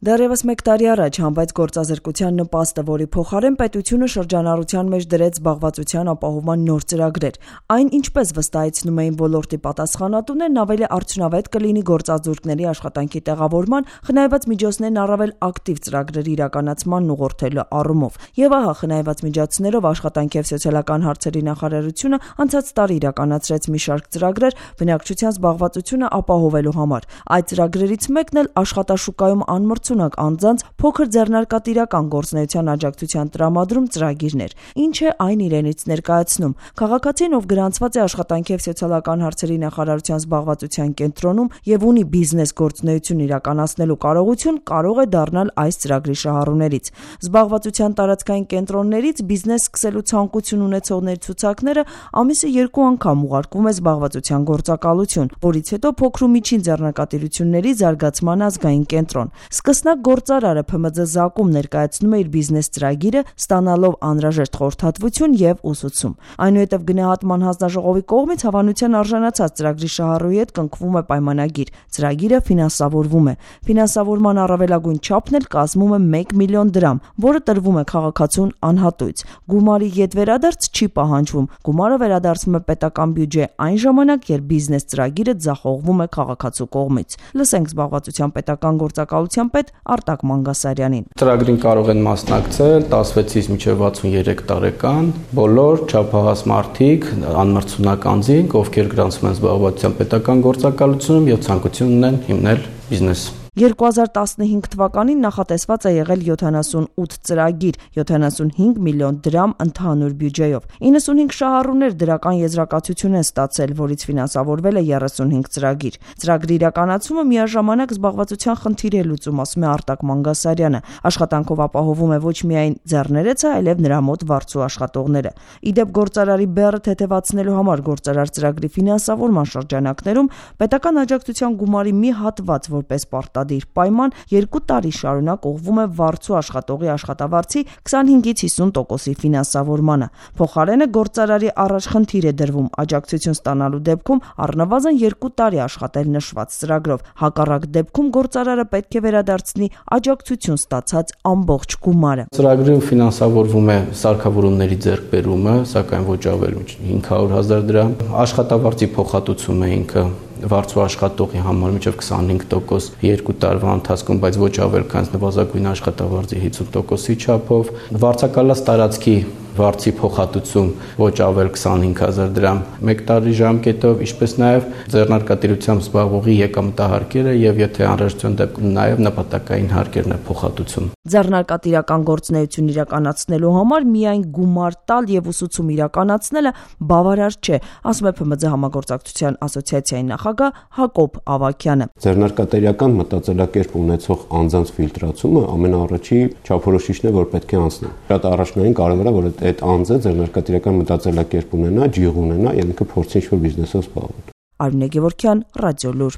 Դեռևս մեկ տարի առաջ հանվեց գործազրկության նպաստը, որի փոխարեն պետությունը շրջանառության մեջ դրեց զբաղվածության ապահովման նոր ծրագրեր։ Այն, ինչպես վստահեցնում էին ոլորտի պատասխանատուներն, ավելի արդյունավետ կլինի գործազուրկների աշխատանքի տեղավորման, խնայված միջոցներն առավել ակտիվ ծրագրերի իրականացմանն ուղղորդելու առումով։ Եվ ահա, խնայված միջոցներով աշխատանքի և սոցիալական հարցերի նախարարությունը անցած տարի իրականացրեց մի շարք ծրագրեր բնակչության զբաղվածությունը ապահովելու համար։ Այդ ծրագրերից մեկն էլ աշխատաշուկայում անմրցունակ անձանց փոքր ձեռնարկատիրական գործունեության աջակցության տրամադրում ծրագիրն էր։ Ինչ է այն իրենից ներկայացնում։ Քաղաքացին, ով գրանցված է աշխատանքի և սոցիալական հարցերի նախարարության զբաղվածության կենտրոնում և ունի բիզնես գործունեություն իրականացնելու կարողություն, կարող է դառնալ այս ծրագրի շահառուներից։ Զբաղվածության տարածքային կենտրոններից բիզնես սկսելու ցանկություն ունեցողների ցուցակները ամիսը 2 անգամ ուղարկվում է զբաղվածության գործակալություն, որից հետո փոքր ու միջին ձեռնարկատիրությունների զարգացման ազգային կենտրոն։ Սկսնակ գործարարը ՓՄՁ ԶԱԿ-ում ներկայացնում է իր բիզնես ծրագիրը, ստանալով անհրաժեշտ խորհրդատվություն և ուսուցում։ Այնուհետև գնահատման հանձնաժողովի կողմից հավանության արժանացած ծրագրի շահառուի հետ կնքվում է պայմանագիր։ Ծրագիրը ֆինանսավորվում է։ Ֆինանսավորման առավելագույն չափն էլ կազմում է 1 միլիոն դրամ, որը տրվում է քաղաքացուն անհատույց։ Գումարի ետվերադարձ չի պահանջվում։ Գումարը վերադարձվում է պետական բյուջե այն ժամանակ, երբ բիզնես ծրագիրը ձախողվում է քաղաքացու կողմից։ Լսենք զբաղվածության պետական գործակալության պետ Արտակ Մանգասարյանին։ Ծրագրին կարող են մասնակցել 16-ից մինչև 63 տարեկան բոլոր չափահաս մարդիկ, անմրցունակ անձինք, ովքեր գրանցվում են զբաղվածության պետական գործակալությունում և ցանկություն ունեն հիմնել բիզնես։ 2015 թվականին նախատեսված է եղել 78 ծրագիր, 75 միլիոն դրամ ընդհանուր բյուջեով։ 95 շահառուներ դրական եզրակացություն են ստացել, որից ֆինանսավորվել է 35 ծրագիր։ Ծրագրի իրականացումը միաժամանակ զբաղվածության խնդիր է լուծում, ասում է Արտակ Մանգասարյանը։ Աշխատանքով ապահովում է ոչ միայն ձեռներեցը, այլև նրա մոտ վարձու աշխատողները։ Իդեպ գործարարի բեռը թեթևացնելու համար գործարար ծրագրի ֆինանսավորման շրջանակներում պետական աջակցության գումարի մի հատված որպես պարտադիր պայման 2 տարի շարունակ ուղղվում է վարձու աշխատողի աշխատավարձի 25-ից 50%-ի ֆինանսավորմանը։ Փոխարենը գործարարի առաջ խնդիր է դրվում աջակցություն ստանալու դեպքում առնվազն 2 տարի աշխատել նշված ծրագրով։ Հակառակ դեպքում գործարարը պետք է վերադարձնի աջակցություն ստացած ամբողջ գումարը։ Ծրագրում ֆինանսավորվում է սարքավորումների ձեռքբերումը, սակայն ոչ ավել 500,000 դրամ, աշխատավարձի փոխհատուցումը ինքը վարձու աշխատողի համար մինչև 25% 2 տարվա ընթացքում, բայց ոչ ավել քան նվազագույն աշխատավարձի 50%-ի չափով, վարձակալած տարածքի վարձի փոխհատուցում ոչ ավել 25,000 դրամ 1 տարի ժամկետով, ինչպես նաև ձեռնարկատիրությամբ զբաղվողի եկամտահարկերը եւ եթե անհրաժեշտության դեպքում նաև նպատակային հարկերն է փոխհատուցում։ Ձեռնարկատիրական գործունեություն իրականացնելու համար միայն գումար տալ եւ ուսուցում իրականացնելը բավարար չէ, ասում է ՓՄԶ համագործակցության ասոցիացիայի նախագահ Հակոբ Ավագյանը։ Ձեռնարկատիրական մտածելակերպ ունեցող անձանց ֆիլտրացումը ամենաառաջի չափորոշիչն է, որ պետք է անցնի։ Շատ առաջնային կարևոր է, որ այդ անձը ձեռնարկատիրական մտածելակերպ ունենա, ջիղ ունենա, եւ ինքը փորձի ինչ-որ բիզնեսով զբաղվել։ Արմինե Գևորգյան, Ռադիոլուր։